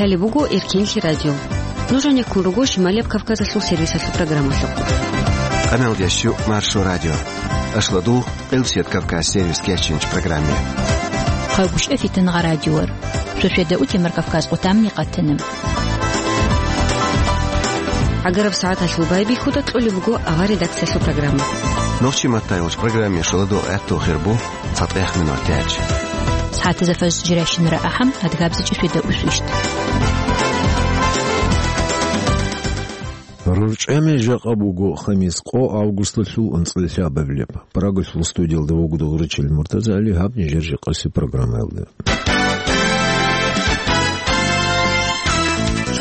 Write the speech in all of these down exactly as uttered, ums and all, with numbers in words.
Гьале буго Эркенлъи радио. Нуж гьанеккун руго Шималияб Кавказалъул сервисалъул программалъухъ. Къамел ящу Маршо радио. Ашладул Къилсият Кавказ сервис кечинч программе. Хъавгуш эфитан гъа радиор. Шошведа утемар Кавказ къутамни къатана. Агараб сагӀаталъул байбихьуда кьолеб буго авар редакциялъул программа. Нохчи маттайулч программе шоладо гӀатту хирбу. ЦатӀех минут яч. Сагьатазда фаз жиращинара ахӀам, адгабзичӀи шведа усвищт. РорчӀами жакъа буго хамис къо августалъул анцӀила лъабабилеб. Прагалъул студиялда вуго дугъричил Муртаза ГӀали, гьаб нижер жакъаси программаялда.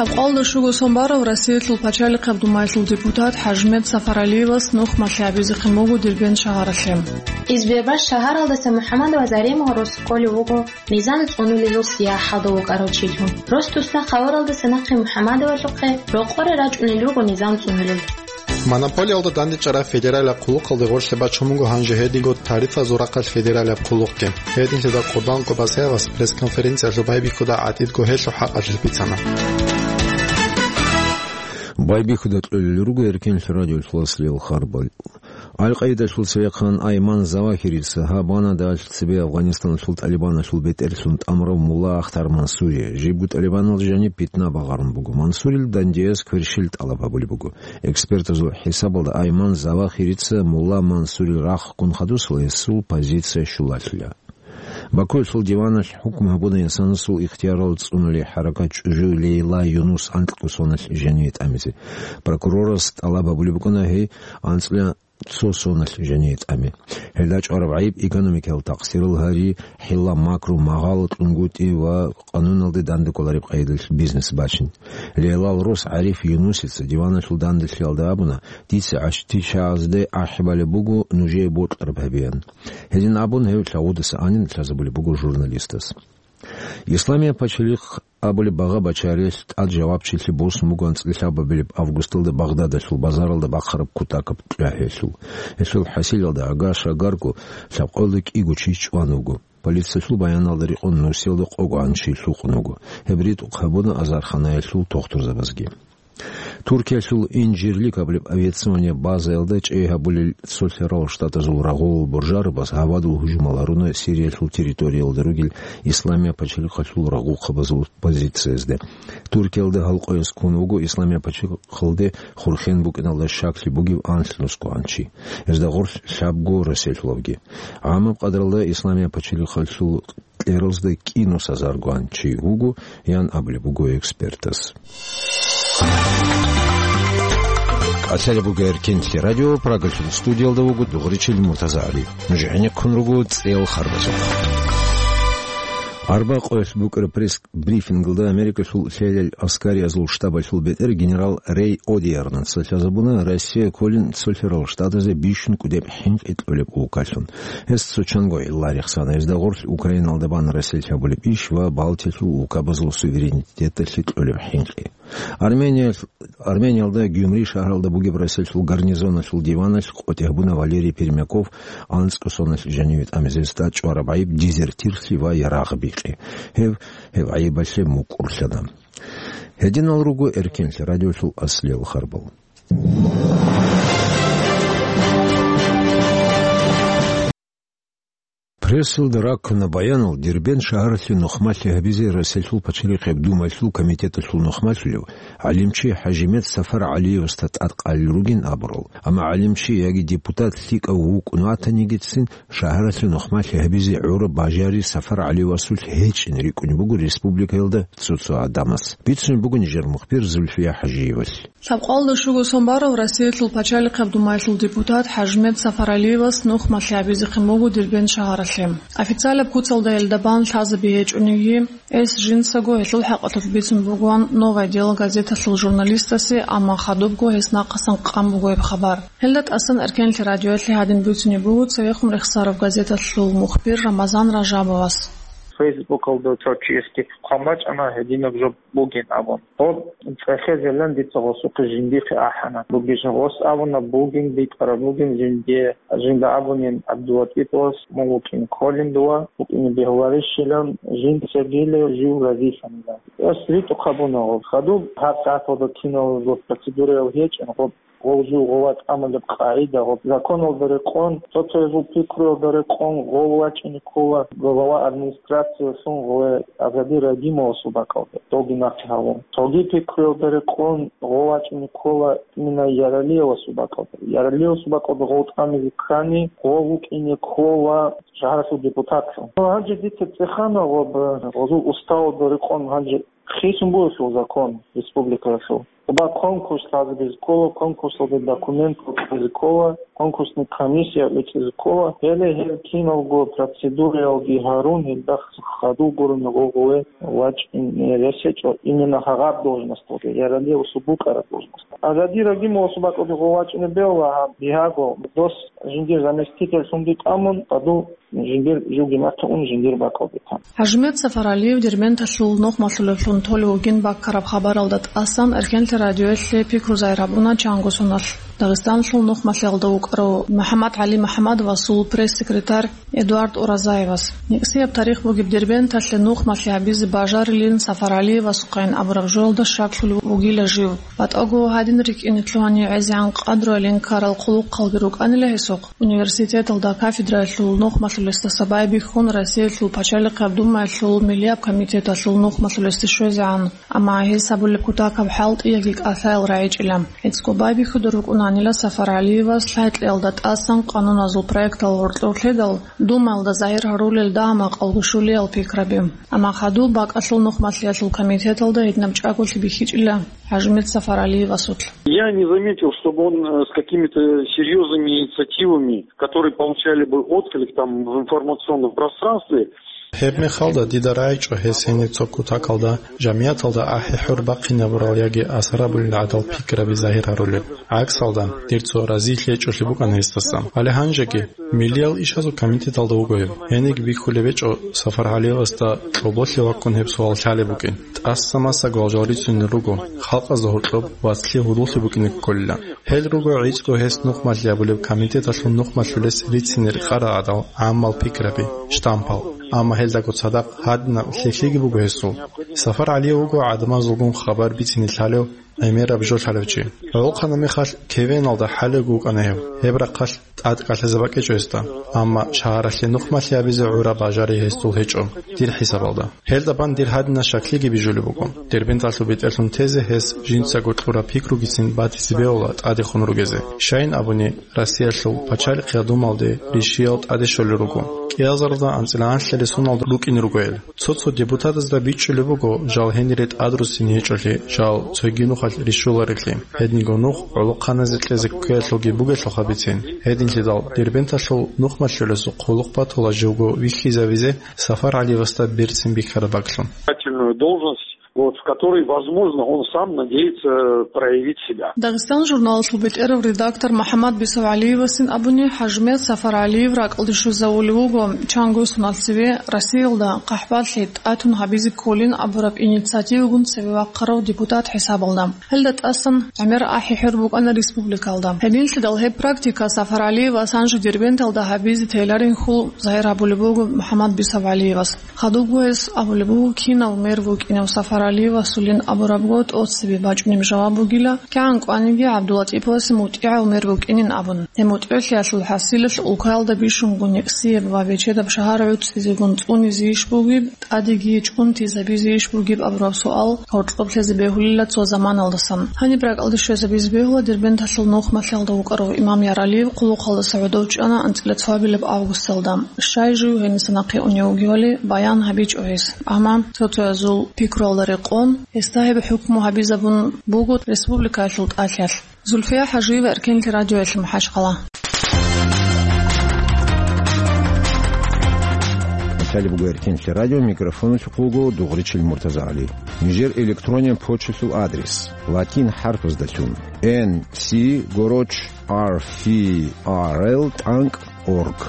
Лъабкъалда щуго сон барав Россиялъул пачалихъаб думаялъул депутат ХӀажимет Сафаралиевас нух малъи гьабизехъин буго Дербент шагьаралъе. Избербаш шагьаралдаса МухӀаммадова Заремага рос кколев вуго низам цӀунулел сияхӀалда вукӀарав чилъун. Рос-дусла хабаралдаса нахъе МухӀаммадовалъухъе рокъоре рачӀунел руго низам цӀунулел. Монополиялда дандечӀараб федералияб хъулухъалде гъорлъе бачун буго гьанже гьединго тарифазул рахъалъ федералияб хъулухъги. Гьединлъидал Къурбан Къубасаевас пресс-конференциялъул байбихьуда гӀатӀидго гьелъул хӀакъалъулъ бицана. Байбихьуда кьолел руго Эркенлъи радиолъул аслиял харбал. Аль-Къаидалъул цевехъан Айман Завахирица гьаб ванадалъ цебе Афганистаналъул ТӀалибаналъул бетӀерлъун тӀамурав мулла Ахтар Мансури, жибго тӀалибанал жаниб питна багъарун буго. Мансурил дандеяс кверщел тӀалаб гьабулеб буго. Экспертазул хӀисабалда Айман Завахирица мулла Мансурил рахъ ккун хадусала гьесул позиция щулалъила. Бакуялъул диваналъ хӀукму гьабуна инсанасул ихтиярал цӀунулей хӀаракат чӀужу Лейла Юнус анкьго соналъ жаниве тӀамизе. Прокурорас тӀалаб гьабулеб букӀана гьей анцӀила цо соналъ жаниве тӀаме. Гьелда чӀвараб гӀайиб экономикаялъ такъсирал гьари, хӀилла-макру, магъало кьунгутӀи ва къануналде дандекӀолареб къайдалъ бизнес бачин. Лейлал рос ГӀариф Юнусица диваналъул данделъиялда абуна: «Дица гӀащтӀичагӀазде ахӀи балеб буго нужее бокьараб гьабеян». Гьедин абун, гьев лъагӀудаса анин лъазабулеб буго журналистас. Исламияб пачалихъ абулеб багъа-бачарилъ тӀад жавабчилъи босун буго анцӀила лъабабилеб августалда Багъдадалъул базаралда бахъараб кутакаб кьвагьиялъул. Гьелъул хӀасилалда агар-шагарго лъабкъоялда кӀиго чи чӀван вуго. Полициялъул баяналда рекъон нусиялда къогогӀан чи лъукъун вуго. Гьеб ритӀухъ гьабуна азарханаялъул тухтурзабазги. Туркиялъул Инжирлик абулеб авиационияб базаялда чӀей гьабулел Цолъарал Штатазул рагъулал боржарабаз гьавадул гьужумал гьаруна Сириялъул территориялда ругел Исламияб пачалихъалъул рагъухъабазул позициязде. Туркиялда гьалкъояс ккун вуго Исламияб пачалихъалде хурхен букӀиналда щаклъи бугев анлънусгоан чи. Гьезда гъорлъ лъабго расселъулавги. ГӀамаб къадралда Исламияб пачалихъалъул кьералзда кӀинусазаргоан чи вуго, ян абулеб буго экспертас. Къалъалеб буго Эркенлъи радио, Прагалъул студиялда вуго дугъричил Муртаза ГӀали. Нуж гӀенеккун руго цӀел харбазухъ. Арба къоялъ букӀараб пресс-брифингалда Америкалъул лъелел аскариязул штабалъул бетӀер генерал Рей Одиарнаца лъазабуна Россия кколин Цолъарал Штатазе бищун кӀудеб хӀинкъи кьолеб улкалъун. Гьес цо чанго гӀилла рехсана, гьезда гъорлъ Украиналда бан расселъ гьабулеб иш ва Балтиялъул улкабазул суверенитеталъе кьолеб хӀинкъи. Армения-, Армениялда Гюмри шагьаралда бугеб расселъул гарнизоналъул диваналъ къотӀи гьабуна Валерий Пермяков анцӀго соналъ жаниве тӀамизе тӀад чӀвараб гӀайиб дезертирлъи ва ярагъ бикъи. Гьев, гьев гӀайибалъе мукӀурлъана. Гьединал руго Эркенлъи радиолъул аслиял харбал. Прессалда раккана баянал Дербент шагьаралъе нухмалъи гьабизе Россиялъул пачалихъеб думаялъул комитеталъул нухмалъулев гӀалимчи ХӀажимет Сафар ГӀалиевасда тӀадкъалел ругин абурал. Амма гӀалимчи яги депутат лъикӀав вукӀун ватанигицин, шагьаралъе нухмалъи гьабизе гӀураб бажари Сафар ГӀалиевасулъ гьечӀин рикӀкӀунеб буго республикаялда цо-цо гӀадамас. Бицунеб буго нижер мухбир Зульфия ХӀажиевалъ. Лъабкъалда щуго сон барав Россиялъул пачалихъаб думаялъул депутат ХӀажимет Сафаралиевас нух малъи гьабизехъин буго Дербент шагьаралъе. Официалаб куцалда гьелда бан лъазаби гьечӀониги, гьес жинцаго гьелъул хӀакъалъулъ бицун бугоан «Новое дело» газеталъул журналистасе, амма хадубго гьес нахъасан къан буго гьеб хабар. Гьелда тӀасан Эркенлъи радиоялъе гьадин бицунеб буго цевехун рехсараб газеталъул мухбир Рамазан Ражабовас. Фейсбукалда цо чиясги хъван бачӀана гьединаб жо бугин абун. Гъоб цӀехезелан дица гъосухъе жиндихъе ахӀана. Бугищ гъос абуна, бугин, битӀараб бугин жиндие. Жинда абунин ГӀабдуллатӀипас, мун вукӀин кколин дова, вукӀине бегьуларищилан, жиндицагила жив разилъанилан. Ас ритӀухъ абуна гъоб. Хадуб гьаб сагӀаталда киналго процедураяв гьечӀин гъоб. Гъов жив гъова тӀамулеб къагӀида, гъоб законалда рекъон, цо-цоязул пикруялда рекъон гъов вачӀине ккола, глава администрациялъун гъове Азади Рагимовасул бакӀалде, доги нахъе гьавун. Цоги пикруялда рекъон гъов вачӀине ккола именно Яралиевасул бакӀалде. Яралиевасул бакӀалде гъов тӀамизе ккани, гъов вукӀине ккола шагьаралъул депутатлъун. Гьанже дица цӀехана ва гъозул уставалда рекъон гьанже хисун бугелъул закон республикаялъул. Ва конкурс лъазе ккола, конкурсалда документ кьезе ккола, конкурсный комиссия вичӀезе ккола. Гьеле гьел киналго процедураялги гьарун, гьелда хадув гурони гъове вачӀине рес гьечӀо именно гьагъаб должносталде, Яралиевасул букӀараб должносталде. Азади Рагимовасул бакӀалде гъов вачӀине бегьула гьаб бигьаго, дос жиндир заместительлъунги тӀамун, хадув жиндир живги нахъе ун, жиндир бакӀалде тан. ХӀажимет Сафаралиев Дербенталъул нухмалъулевлъун толев вугин баккараб хабаралда тӀасан Эркенлъи радиоялъе пикру загьир гьабуна чанго соналъ Дагъистаналъул нухмалъиялда вукӀарав МухӀаммад-ГӀали МухӀаммадовасул пресс-секретарь Эдуард Уразаевас. НекӀсияб тарих бугеб Дербенталъе нухмалъи гьабизе бажарилин Сафаралиевасухъайин абураб жоялда щаклъулев вугила жив. БатӀаго гьадин рикӀкӀине лъугьани гӀезегӀан къадруялин ккарал хъулухъалги рукӀанила гьесухъ. Университеталда кафедраялъул нухмалъулесдаса байбихьун Россиялъул пачалихъияб Думаялъул миллияб комитеталъул нухмалъулесде щвезегӀан, амма гьес гьабулеб кутакаб хӀалтӀиялги кӀалъаял рагӀичӀила. ГӀицӀго байбихьуда рукӀунанила СафаргӀалиевас лъай-кьеялда тӀасан къануназул проектал гьоркьор лъедал, Думаялда загьир гьарулел дагьа-макъалго щулиял пикраби. Амма хадуб бакӀалъул нухмалъиялъул комитеталда гьединаб чӀаголъи бихьичӀила ХӀажимет Сафаралиевасулъ. Я не заметил, чтобы он, э, с какими-то серьёзными инициативами, которые получали бы отклик там в информационном пространстве. Гьеб мехалда дида рагӀичӀо гьес гьениб цо кутакалда, жамияталда ахӀи-хӀур бахъинабурал яги асар гьабулел гӀадал пикраби загьир гьарулеб. ГӀаксалда, дир цо разилъи гьечӀолъи букӀана гьесдасан. Гьале гьанжеги, миллиял ишазул комитеталда вуго гьеб. Гьениги бихьулеб гьечӀо СафаргӀалиевасда кьоболъи ваккун гьеб суал лъалеб букӀин. ТӀаса-маса гвалжал рицунел руго, халкъазда гьоркьоб вацлъи гьудуллъи букӀине кколила. Гьел руго гӀицӀго гьес нухмалъи гьабулеб комитеталъул нухмалъулес рицине рекъарал гӀадал гӀаммал пикраби, штампал. Амма гьелдаго цадахъ гьадинаб лъикӀлъиги буго гьесул. СафаргӀалиев вуго гӀадамазулгун хабар бицине лъалев, гӀемераб жо лъалев чи. ГӀолохъанаб мехалъ кевеналда хӀалеб вукӀана гьев. Гьеб рахъалъ тӀадкӀалъизе бакӀичӀо гьесда. Амма шагьаралъе нухмалъи гьабизе гӀураб бажари гьесул гьечӀо, дир хӀисабалда. Гьелда бан дир гьадинаб щаклъиги бижулеб буго. Дербенталъул бетӀерлъун тезе гьес жинцаго кьураб пикругицин батизе бегьула тӀадехун ругезе. Щайин абуни, Россиялъул пачалихъ гьадумалде ришиял тӀаде щолел руго. КӀиазарда анцӀила анлъалесуналда рукӀине руго гьел. Цо-цо депутатазда бичӀчӀулеб буго жал гьенире тӀадруссине гьечӀолъи, жал цоги нухалъ рищуларелъи. Гьединго нух гӀолохъаназе кьезе ккеялъулги бугелъулха бицин. Гьединлъидал Дербенталъул нухмалъулесухъ хъулухъ батула живго вихьизавизе СафаргӀалиевасда берцин бихьараб бакӀлъун. Должность, вот, в которой, возможно, он сам надеется проявить себя. Дагъистан журналалъул бетӀерав редактор МухӀаммад Бисавгьалиевасин абуни, ХӀажимет СафаргӀалиев ракӀалде щвезавулев вуго чанго соналъ цеве Россиялда къахӀбалъи тӀатун гьабизе кколин абураб инициативагун цеве вахъарав депутат хӀисабалда. Гьелда тӀасан гӀемер ахӀи-хӀур букӀана республикалда. Гьединлъидал гьеб практика СафаргӀалиевас гьанже Дербенталда гьабизе теларин хьул загьир гьабулеб буго МухӀаммад Бисавгьалиевас. Хадубго гьес абулеб буго, кинав мэр вукӀинев СафаргӀалиевасулин абурабго тӀоцебе бачӀунеб жаваб бугила, кигӀан кӀваниги ГӀабдуллатӀиповасе мутӀигӀав мэр вукӀинин абун. Гьеб мутӀигӀлъиялъул хӀасилалъ улкаялда бищунго некӀсияб ва бечедаб шагьар гӀуцӀизегун цӀунизейищ бугеб, тӀадеги чӀунтизабизейищ бугеб абураб суал гьоркьоб лъезе бегьулила цо заманалдасан. Гьаниб ракӀалде щвезабизе бегьула Дербенталъул нухмалъиялда вукӀарав имам Яралиев хъулухъалдаса гӀодов чӀана анцӀила цоабилаб августалда. Щай жив гьениса нахъе унев вугевали баян гьабичӀо гьес. Амма цо-цоязул пикруялда рекъон, гьесда гьеб хӀукму гьабизабун буго республикаялъул тӀалъиялъ. Зульфия ХӀажиева, Эркенлъи радиоялъ, МахӀачхъала. Италия буго Эркенлъи радио, микрофоналъухъ вуго Дугъричил МуртазагӀали. Нижер электрониял почталъул адрес: латин хӀарпаздалъун, N C горочь R F R L тӀанкӀ org.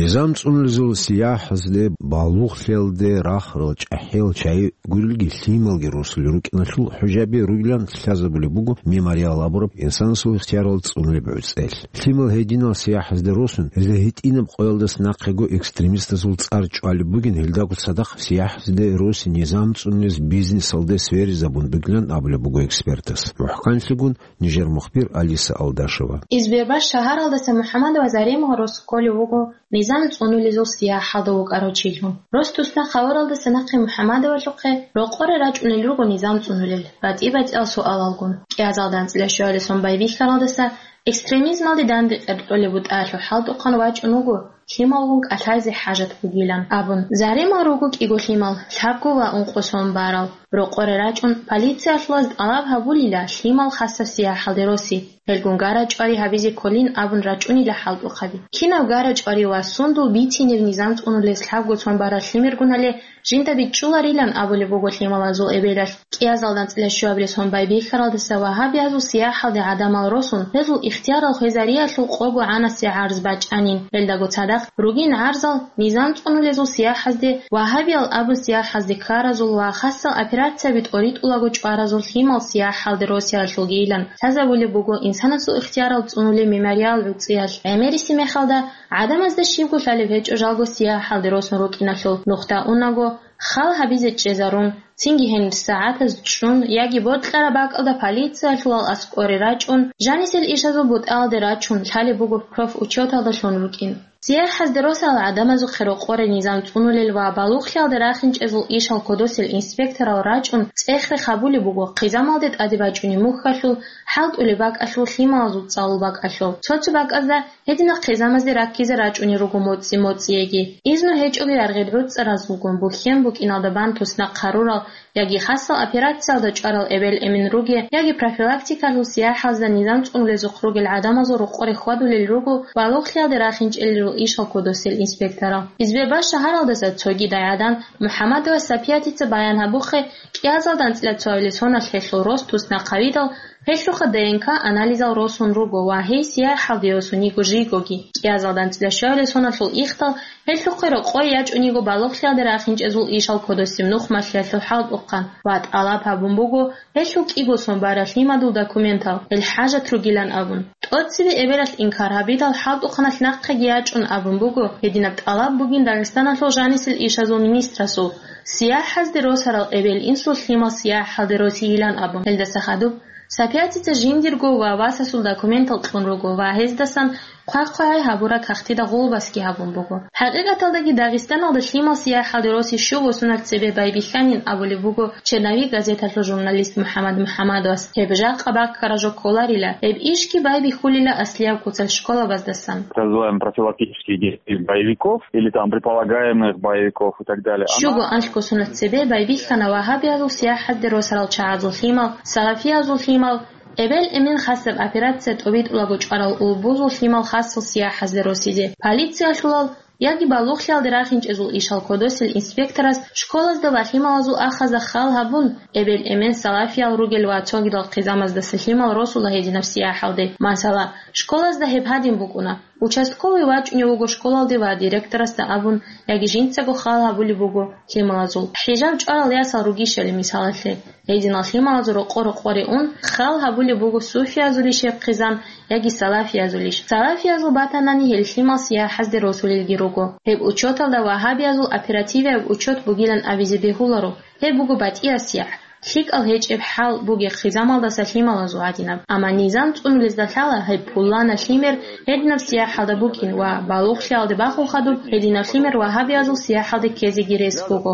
Низам цӀунулезул сияхӀазде балугълъиялде рахарал чӀахӀиял чагӀи гурилги лъималги росулел рукӀиналъул хӀужаби ругилан лъазабулеб буго «Мемориал» абураб инсанасул ихтиярал цӀунулеб гӀуцӀел. Лъимал гьединал сияхӀазде росун, гьезда гьитӀинаб къоялдаса нахъего экстремистазул цӀар чӀвалеб бугин, гьелдаго цадахъ сияхӀазде роси низам цӀунулез бизнесалде сверизабун бугилан абулеб буго экспертас. МухӀканлъигун нижер мухбир Алиса Алдашева. Избербаш шагьаралдаса МухӀаммадова Заремал рос кколев вуго низам цӀунулезул сияхӀалда вукӀарав чилъун. Рос туснахъ гьавуралдаса нахъе МухӀаммадовалъухъе рокъоре рачӀунел руго низам цӀунулел, батӀи-батӀиял суалалгун. КӀиазалда анцӀила щуабилеб сон байбихьаралдаса экстремизмалде данде къеркьолеб бутӀаялъул хӀалтӀухъан вачӀун вуго, лъималгун кӀалъайзе хӀажат бугилан абун. Заремал руго кӀиго лъимал, лъабго ва ункъо сон барал. Рокъоре рачӀун, полициялъулаз тӀалаб гьабулила лъимал хасаб сияхӀалде роси, гьелгун гара-чӀвари гьабизе кколин абун рачӀунила хӀалтӀухъаби. Кинаб гара-чӀвари ва сундул бицинеб низам цӀунулес лъабго сон барал лъимергун гьале жинда бичӀчӀуларилан абулеб буго лъималазул эбелалъ. КӀиазалда анцӀила щуабилеб сон байбихьаралдаса вагьабиязул сияхӀалде гӀадамал росун, гьезул ихтиярал хвезариялъул къого гӀанасе гӀарз бачӀанин. Гьелдаго цадахъ ругин гӀарзал низам цӀунулезул сияхӀазде, вагьабиял абун сияхӀазде ккаразул ва хасал операцияби тӀоритӀулаго чӀваразул лъимал сияхӀалде росиялъулгийилан лъазабулеб буго инсанасул ихтиярал цӀунулеб «Мемориал» гӀуцӀиялъ. ГӀемериси мехалда, гӀадамазда щибго лъалеб гьечӀо жалго сияхӀалде росун рукӀиналъул нухда унаго, хал гьабизе чӀезарун, цинги гьенир сагӀатаз чӀун яги бокьараб бакӀалда полициялъулал аскӀоре рачӀун, жанисел ишазул бутӀаялде рачун лъалеб буго профучёталда лъун рукӀин. СияхӀазде росал гӀадамазухъе рокъоре низам цӀунулел ва балугълъиялде рахинчӀезул ишал кодосел инспекторал рачӀун цӀех-рех гьабулеб буго хъизамалде тӀаде бачӀунеб мухьалъул, хӀалтӀулеб бакӀалъул, лъималазул цӀалул бакӀалъул. Цо-цо бакӀазда гьединал хъизамазде раккизе рачӀунел руго моцӀи-моцӀиеги. Изну гьечӀоги яргъел гӀуцӀаразулгун бухьен букӀиналда бан туснахъ гьарурал яги хасал операциялда чӀварал эбел-эмен руге, яги профилактикалъул сияхӀазда низам цӀунулезухъ ругел гӀадамазул рокъоре хьвадулел руго балугълъиялде рахинчӀелел ишал кодосел инспекторал. Избербаш шагьаралдаса цогидай гӀадан МухӀаммадова Сапиятица баян гьабухъе, кӀиазалда анцӀила цоабилеб соналъ гьелъул рос туснахъ гьавидал, гьелъухъа ДНК анализал росун руго ва гьей сияхӀалде йосун йиго жийгоги. КӀиазалда анцӀила щуабилеб соналъул ихдал гьелъухъе рокъой ячӀун йиго балугълъиялде рахинчӀезул ишал кодосеб нух малъиялъул хӀалтӀухъан ва тӀалаб гьабун буго гьелъул кӀиго сон барал лъимадул документал, гьел хӀажат ругилан абун. ТӀоцебе эбелалъ инкар гьабидал, хӀалтӀухъаналъ нахъеги ячӀун абун буго, гьединаб тӀалаб бугин Дагъистаналъул жанисел ишазул министрасул, сияхӀазде росарал эбел-инсул лъимал сияхӀалде росийилан абун. Гьелдаса хадуб Сапиятица жиндирго ва васасул документал кьун руго ва гьездасан хъвай-хъвай гьабураб кагътида гъулбасги гьабун буго. ХӀакъикъаталдаги Дагъистаналда лъимал сияхӀалде роси щуго соналъ цебе байбихьанин абулеб буго «Черновик» газеталъул журналист МухӀаммад МухӀаммадовас. Гьеб жакъа баккараб жо кколарила, гьеб ишги байбихьулила аслияб куцалъ школабаздасан. Так называемых профилактических действий боевиков или там предполагаемых боевиков и так далее. Щуго анлъго соналъ цебе байбихьана вагьабиязул сияхӀазде росарал чагӀазул лъимал, салафиязул лъимал, эбел-эмен хасаб операция тӀобитӀулаго чӀварал улбузул лъимал хасал сияхӀазде росизе. Полициялъулал яги балугълъиялде рахинчӀезул ишал кодосел инспекторас школазда ва лъималазул ахазда хал гьабун, эбел-эмен салафиял ругел ва цогидал хъизамаздаса лъимал росула гьединаб сияхӀалде. Масала, школазда гьеб гьадин букӀуна: участковый вачӀунев вуго школалде ва директорасда абун, яги жинцаго хал гьабулеб буго лъималазул. ХӀижаб чӀварал ясал ругищали мисалалъе. Гьединал лъималазул рокъо-рокъоре ун, хал гьабулеб буго суфиязулищ гьеб хъизан яги салафиязулищ. Салафиязул батанани гьел лъимал сияхӀазде росулелги руго. Гьеб учёталда вагьабиязул оперативияб учёт бугилан абизе бегьуларо. Гьеб буго батӀиясеб яхӀ, лъикӀал гьечӀеб хӀал бугеб хъизамалдаса лъималазул гӀадинаб. Амма низам цӀунулезда лъала гьеб пуланаб лъимер гьединаб сияхӀалда букӀин ва балугълъиялде бахун хадуб гьединаб лъимер вагьабиязул сияхӀалде ккезеги рес буго.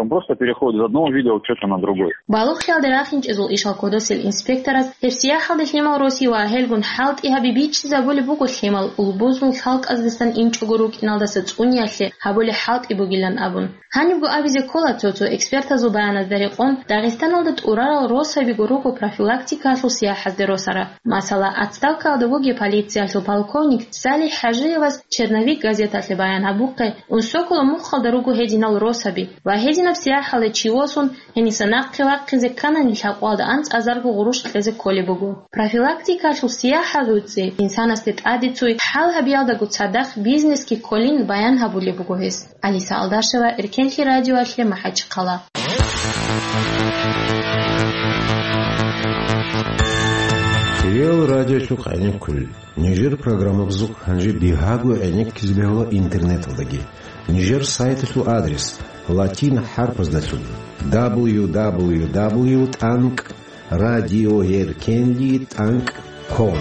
Он просто переходит из одного вида учёта на другой. Балугълъиялде рахинчӀезул ишал кодосел инспекторас гьеб сияхӀалде лъимал роси ва гьелгун хӀалтӀи гьаби бичӀчӀизабулеб буго лъимал улбузул халкъаздасан инчӀого рукӀиналдаса цӀуниялъе гьабулеб хӀалтӀи бугилан абун. Гьанибго абизе ккола цо-цо экспертазул баяназда рекъон, Дагъистан Дагъистаналда тӀурарал росабиго руго профилактикалъул сияхӀазде росарал. Масала, отставкаялда вугев полициялъул полковник Салих ХӀажиевас «Черновик» газеталъе баян гьабухъе, ун сокула мухъалда руго гьединал росаби ва гьединаб сияхӀалде чи восун, гьениса нахъе вахъизе кканани лъабкъоялда анцӀазарго гъурущ кьезе кколеб буго. Профилактикалъул сияхӀал руцӀи инсанасде тӀаде цуй хӀал гьабиялдаго цадахъ бизнесги кколин баян гьабулеб буго гьес. Алиса Алдашева, Эркенлъи радиоялъе, МахӀачхъала. Реал радиолъухъ гӀенеккулел. Нижер программабазухъ гьанже бигьаго гӀенеккизе бегьула интернеталдаги. Нижер сайталъул адрес латин хӀарпаздалъун: дабл ю дабл ю дабл ю тӀанкӀ радиоеркенлъи тӀанкӀ ком.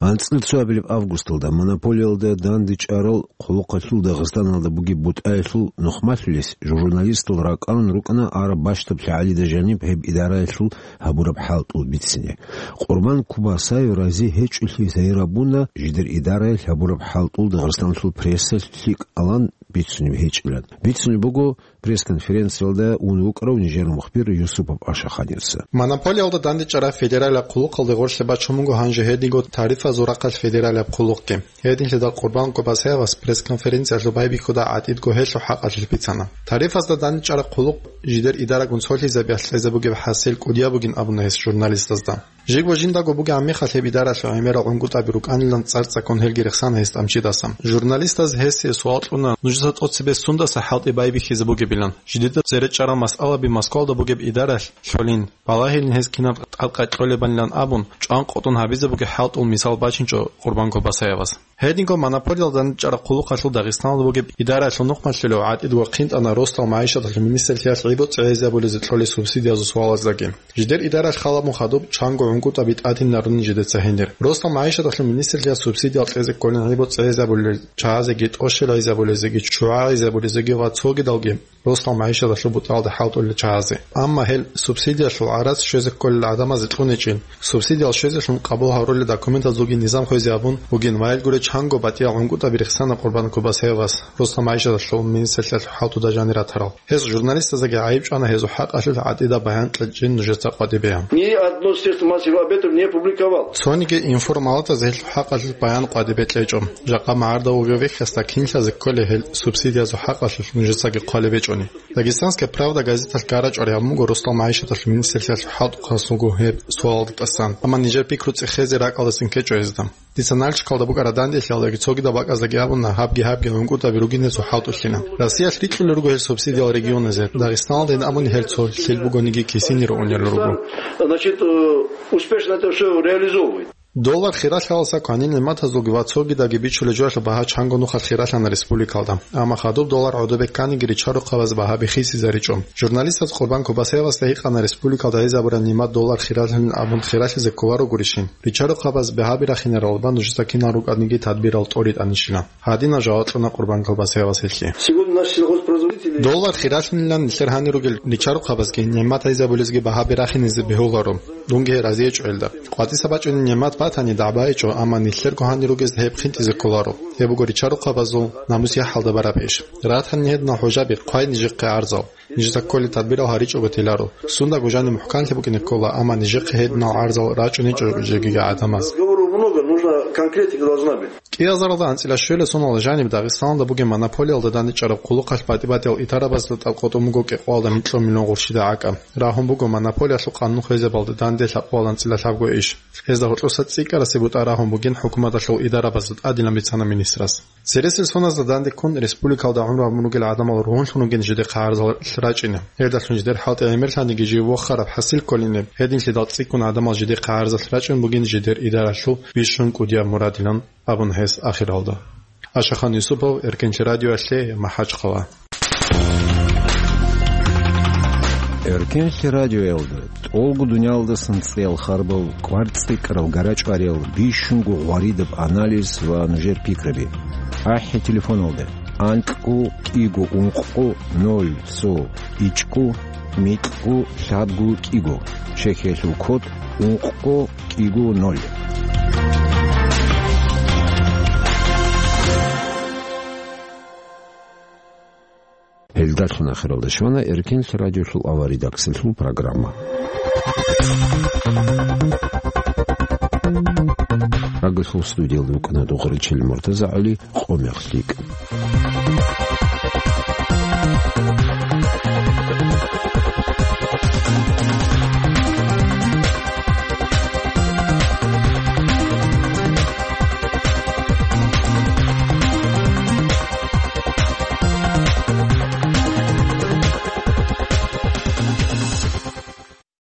АнцӀила цоабилеб августалда монополиялда дандечӀарал хъулухъалъул Дагъистаналда бугеб бутӀаялъул нухмалъулес журналистал ракӀарун рукӀана араб бащдаб лъагӀалида жаниб гьеб идараялъул гьабураб хӀалтӀул бицине. Къурбан Кубасаев рази гьечӀолъи загьир гьабуна жидер идараялъ гьабураб хӀалтӀул Дагъистаналъул прессалъ лъикӀалан бицунеб гьечӀилан. Бицунеб буго пресс-конференциялда ун вукӀарав нижер мухбир Юсупов Ашаханивца. Монополиялда дандечӀараб федералияб хъулухъалде гъорлъе бачун буго гьанже гьединго тарифазул рахъалъ федералияб хъулухъги. Гьединлъидал Къурбан Кубасаевас пресс-конференциялъул байбихьуда гӀатӀидго гьелъул хӀакъалъулъ бицана. Тарифазда дандечӀараб хъулухъ жидер идарагун цолъизабиялъ кьезе бугеб хӀасил кӀудияб бугин абуна гьес журналистазда. Жибго жиндаго бугеб мехалъ гьеб идаралъул гӀемерал гӀунгутӀаби рукӀанилан цӀар-цӀакъун гьелги рехсана гьес тӀамчидасан. Журналистаз гьесие суал кьуна, нужеца тӀоцебе сундаса хӀалтӀи байбихьизе бугебилан? Жидеда цере чӀарал масъалаби Москвалда бугеб идаралъ лъолин, балагьилин гьез кинаб тӀадкъа кьолебанилан абун, чӀван къотӀун гьабизе бугеб хӀалтӀул мисал бачинчӀо Къурбан Кубасаевас. Гьединго монополиялда дандечӀараб хъулухъалъул Дагъистаналда бугеб идаралъул нухмалъулев гӀатӀидго хъинтӀана росдал магӀишаталъул министрлъиялъ гӀибоцӀи гӀезабулезе кьолел субсидиязул суалаздаги. Жидер идаралъ халабун хадуб чанго гӀунгутӀаби тӀадинарун жидеца гьенир. Росдал магӀишаталъул министрлъиялъ субсидиял кьезе кколин гӀибоцӀи гӀезабулел чагӀазеги, тӀощел гӀезабулезеги, ччугӀа гӀезабулезеги ва цогидалги росдал магӀишаталъул бутӀалда хӀалтӀулел чагӀазе. Амма гьел субсидиялъул гӀарац щвезе кколел гӀадамазе кьуничӀин, субсидиял щвезелъун къабул гьарулел документазулги низам хвезе абун бугин ва гьел гуре чанго батӀиял гӀунгутӀаби рехсана Къурбан Кубасаевас, росдал магӀишаталъул министрлъиялъул хӀалтӀуда жанир ратарал. Гьез журналистаздаги гӀайиб чӀвана гьезул хӀакъалъулъ гӀатӀида баян кьечӀин нужеца къватӀибе. Ни одно средство массовых об этом не публиковал. Цониги информалатаз гьелъул хӀакъалъулъ баян къватӀибе кьечӀо. Жакъа магӀарда вугев вехьасда кинлъазе кколей гьел субсидиязул хӀакъалъулъ нужецаги хъвалеб гьечӀони. Дагестанская правда газеталъ гара чӀвари гьабун буго росдал магӀишаталъул министрлъиялъул хӀалтӀухъасулго гьеб суалалда тӀасан. Амма нижер пикру цӀехезе ракӀалдасан ккечӀо гьезда. Дица Нальчикалда букӀараб данделъиялдаги цогидал бакӀаздаги абуна, гьабги-гьабги гӀунгутӀаби ругин гьезул хӀалтӀулъилан. Россиялъ рикьулел руго гьел субсидиял регионазе. Дагъистаналдайин абуни гьел цо лъил бугониги кисинире унел руго. Значит, э, успешно это всё реализовывает. Доллар хиралъаласа кванил нигӀматазулги ва цогидаги бичулел жоялъул багьа чанго нухалъ хиралъана республикалда. Амма хадуб доллар гӀодобе кканиги ричарухъабаз багьаби хисизаричӀо. Журналистаз Къурбан Кубасаевасда гьикъана республикалда гьезабураб нигӀмат доллар хиралъанин абун хиралъизе кколарогурищин. Ричарухъабаз багьаби рахинарал ва нужеца кинал рукӀаниги тадбирал тӀоритӀанищила. Гьадинаб жаваб кьуна Къурбан Кубасаевас гьелъие. Сегодня наши сельхозпроизводители... Доллар хиралъанилан нилъер гьанир ругел ричарухъабазги нигӀмат гьезабулезги багьаби рахинизе бегьуларо. Дунги гьеб разиечӀо гьелда. КъватӀиса бачӀунеб нигӀмат батани дагӀбаичӀо, амма нилъерго гьанир ругезда гьеб хинтӀизе кколаро. Гьеб буго ричарухъабазул намус-яхӀалда бараб иш. Ратани гьединал хӀужаби, хъвай нижехъе гӀарзал. Нижеца кколел тадбирал гьаричӀого теларо. Сундаго жаниб мухӀканлъи букӀине ккола, амма нижехъе гьединал гӀарзал рачӀуничӀо жеги гӀадамаз. Разговоров много, нужна конкретика должна быть. КӀиазаралда анцӀила щуялъул соналда жаниб Дагъистаналда бугеб монополиялда дандечӀараб хъулухъалъ батӀи-батӀиял идарабазда тӀадкъотӀун буго кӀикъоялда микьго миллион гъурщида гӀакӀа. Рагьун буго монополиялъул къанун хвезабалда данде лъабкъоялда анцӀила лъабго иш. Гьезда гьоркьоса цӀикӀкӀарасе бутӀа рагьун бугин хӀукуматалъул идарабазда тӀадилан бицана министрас. Цересел соназда данде ккун республикалда гӀумру гьабун ругел гӀадамал ругьунлъун ругин жидехъе гӀарзал рачӀине. Гьелдалъун жидер хӀалтӀи гӀемерлъаниги жив вохараб хӀасил кколине, гьединлъидал цӀикӀкӀун гӀадамал жидехъе гӀарзал рачӀун бугин жидер идаралъул бищун кӀудияб мурадилан абун гьес ахиралда. Ашахан Юсупов, Эркенлъи радиоялъе, МахӀачхъала. Эркенлъи радиоялда тӀолго дуниялдасан цӀеял харбал, кӀвар цӀикӀкӀарал гарачӀвариял, бищунго гъваридаб анализ ва нужер пикраби. АхӀи телефоналда: анкьго кӀиго ункъго ноль цо ичӀго микьго лъабго кӀиго, Чехиялъул код ункъго кӀиго ноль. Гьелдалъун ахиралда щвана Эркенлъ радиолъул аваридаксалъул программа. Рагасул студиялда вукӀана Дугъричил МуртазагӀали, «Къо мех лъикӀ».